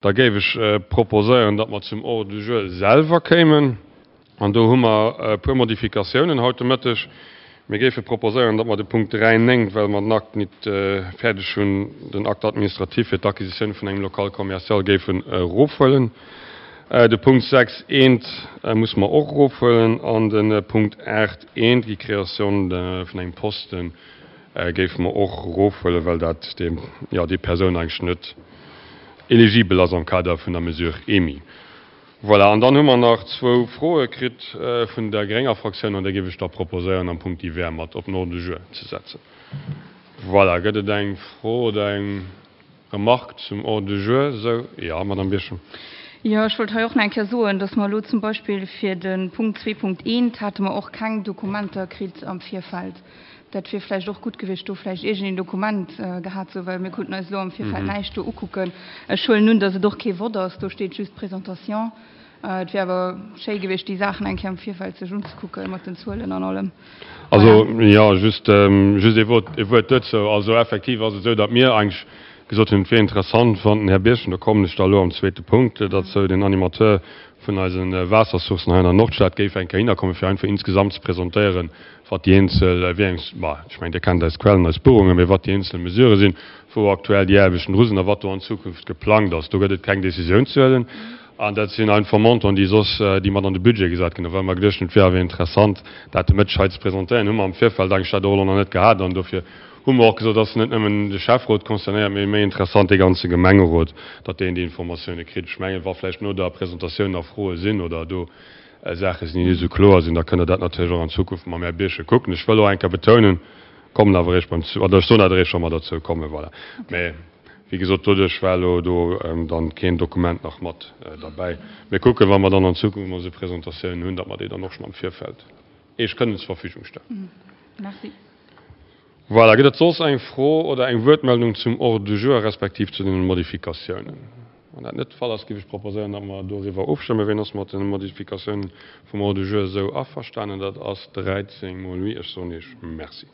Da géif ech proposéieren, datt mer zum Ordre du jour selwer kéimen. An do hu mer e puer Modifikatiounen haut de Mëtteg. Mir géife proposéieren, datt mer de Punkt 3, 9, well mer den Akt nit fäerdeg hunn, den Acte administratif fir d'Acquisitioun vun engem Local commercial géifen erofhuelen. De Punkt 6, 1 musse mer och erofhuelen an de Punkt 8, 1, déi Création vun engem Posten, géife mer och erofhuelen, well dat déi, jo, déi Persoun eigentlech net eligibel ass am Kader vun der Mesure EMI. Voilà, an dann hu mer nach zwou Froe kritt vun der grénger Fraktioun, an déi géif ech da proposéieren, am Punkt divers mat op den Ordre du jour ze setzen. Voilà, gëtt et eng Fro oder eng Remarque zum Ordre du jour? Esou, jo, Madamm Birchen. Jo, ech wollt hei och nach eng Kéier soen, dass mer elo zum Beispill fir de Punkt 2.1 hate mer och keng Dokumenter kritt am Virfeld. Dat wier vläicht och gutt gewiescht, do vläicht iergendeen Dokument gehat ze hu, well mir konnten eis elo am Virfeld näischt do ukucken. Ech huelen un, datt et och kee Vott ass, do steet just Présentation. Et wier awer schéi gewiescht, déi Saachen eng Kéier am Virfeld sech unzekucken, mat den Zuelen an allem. Also, jo, just, just ee Wuert, ee Wuert dozou. Also effektiv ass et esou, datt mir eigentlech gesot hunn, et wier interessant, wann den Här Birchen, do kommen ech da elo am zweete Punkt derzou, den Animateur vun eise Waassersourcen hei an der Nordstad, géif eng Kéier hinnerkommen, fir einfach insgesamt ze presentéieren, wat déi eenzel, wéi eng, ma ech mengen, Dir kennt eis Quellen, eis Buerungen, mee wat déi eenzel Mesurë sinn, wou aktuell déi Aarbechten dru sinn a wat do an Zukunft geplangt ass. Do gëtt et keng Décisioun ze huelen an dat sinn einfach Montanten, déi soss, déi mat an de Budget gesat ginn. A well mer geduecht hunn, et wier awer interessant, dat de Mëtteg hei ze presentéieren, hu mer am Virfeld eigentlech dat och elo nach net gehat an dofir hu mer och gesot, ass net nëmmen de Schäfferot concernéiert, mee méi interessant dee ganze Gemengerot, datt deen déi Informatioune kritt. Ech mengen, wa vläicht no der Presentatioun nach Froe sinn oder do Saache sinn, déi net esou kloer sinn, da kënnt Der dat natierlech och an Zukunft mam Här Birchen kucken. Ech wëll och eng Kéier betounen, kommen awer eréischt beim, oder ech soen dat eréischt, wa mer derzou kommen, voilà. Mä wéi gesot, doduerch war elo do dann keen Dokument nach mat derbäi. Mir kucken, wa mer dann an Zukunft emol esou Presentatiounen hunn, datt mer déi dann och schonn am Virfeld Iech kënnen zur Verfügung stellen. Merci. Voilà, gëtt et soss eng Fro oder eng Wuertmeldung zum Ordre du jour respektiv zu den Modifikatiounen? Wann dat net de Fall ass, géif ech proposéieren, datt mer doriwwer ofstëmmen. Wien ass mat den Modifikatiounen vum Ordre du jour esou averstanen? Dat ass 13 mol oui. Ech soen Iech Merci.